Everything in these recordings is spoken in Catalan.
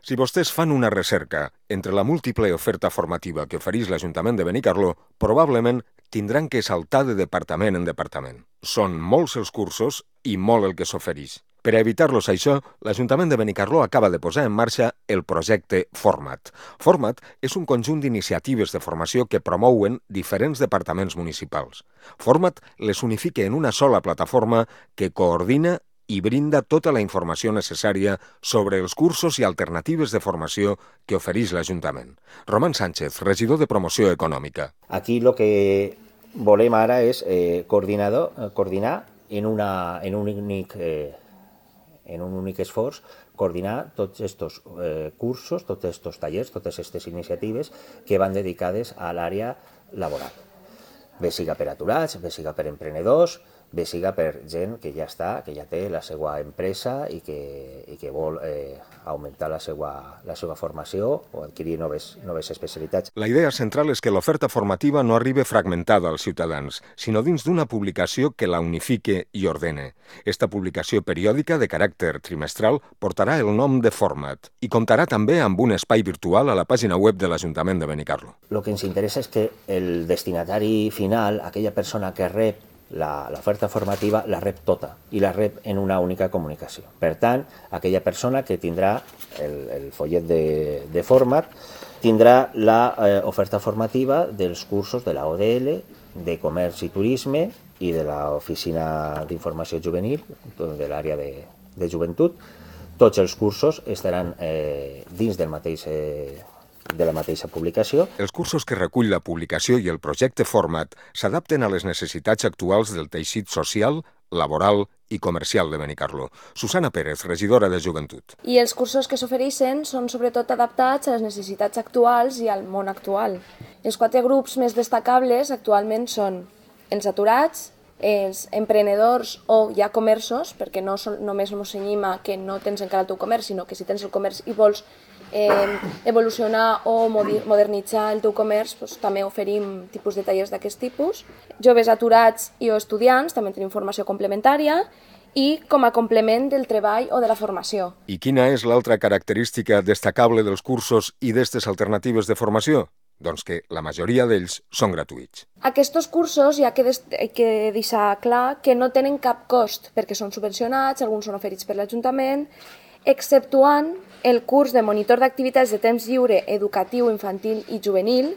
Si vostès fan una recerca entre la múltiple oferta formativa que ofereix l'Ajuntament de Benicarló, probablement tindran que saltar de departament en departament. Són molts els cursos i molt el que s'ofereix. Per a evitar-los això, l'Ajuntament de Benicarló acaba de posar en marxa el projecte Format. Format és un conjunt d'iniciatives de formació que promouen diferents departaments municipals. Format les unifica en una sola plataforma que coordina i brinda tota la informació necessària sobre els cursos i alternatives de formació que ofereix l'Ajuntament. Roman Sánchez, regidor de Promoció Econòmica. Aquí el que volem ara és coordinar en un únic esforç, coordinar tots aquests cursos, tots aquests tallers, totes aquestes iniciatives que van dedicades a l'àrea laboral. Bé siga per aturats, bé siga per emprenedors, bé siga per gent que ja té la seva empresa i que vol augmentar la seva formació o adquirir noves especialitats. La idea central és que l'oferta formativa no arribi fragmentada als ciutadans, sinó dins d'una publicació que la unifique i ordene. Esta publicació periòdica de caràcter trimestral portarà el nom de Format i comptarà també amb un espai virtual a la pàgina web de l'Ajuntament de Benicarló. El que ens interessa és que el destinatari final, aquella persona que rep l'oferta formativa, la rep tota i la rep en una única comunicació. Per tant, aquella persona que tindrà el follet de Format tindrà l'oferta formativa dels cursos de la ODL, de Comerç i Turisme i de l'Oficina d'Informació Juvenil, de l'àrea de joventut. Tots els cursos estaran dins de la mateixa publicació. Els cursos que recull la publicació i el projecte Format s'adapten a les necessitats actuals del teixit social, laboral i comercial de Benicarló. Susana Pérez, regidora de Joventut. I els cursos que s'ofereixen són sobretot adaptats a les necessitats actuals i al món actual. Els 4 grups més destacables actualment són els aturats, els emprenedors o ja comerços, perquè no només ens cenyim a que no tens encara el teu comerç, sinó que si tens el comerç i vols evolucionar o modernitzar el teu comerç, doncs, també oferim tipus de tallers d'aquest tipus. Joves aturats i o estudiants, també tenim formació complementària i com a complement del treball o de la formació. I quina és l'altra característica destacable dels cursos i d'aquestes alternatives de formació? Doncs que la majoria d'ells són gratuïts. Aquests cursos hi ha que deixar clar que no tenen cap cost perquè són subvencionats, alguns són oferits per l'Ajuntament, exceptuant el curs de monitor d'activitats de temps lliure educatiu, infantil i juvenil,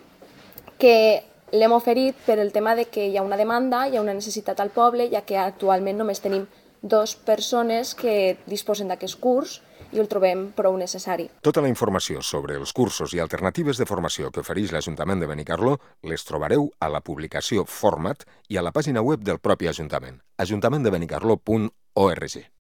que l'hem oferit per el tema de que hi ha una demanda, hi ha una necessitat al poble, ja que actualment només tenim 2 persones que disposen d'aquest curs i el trobem prou necessari. Tota la informació sobre els cursos i alternatives de formació que ofereix l'Ajuntament de Benicarló les trobareu a la publicació Format i a la pàgina web del propi Ajuntament, ajuntamenttdebenicarló.org.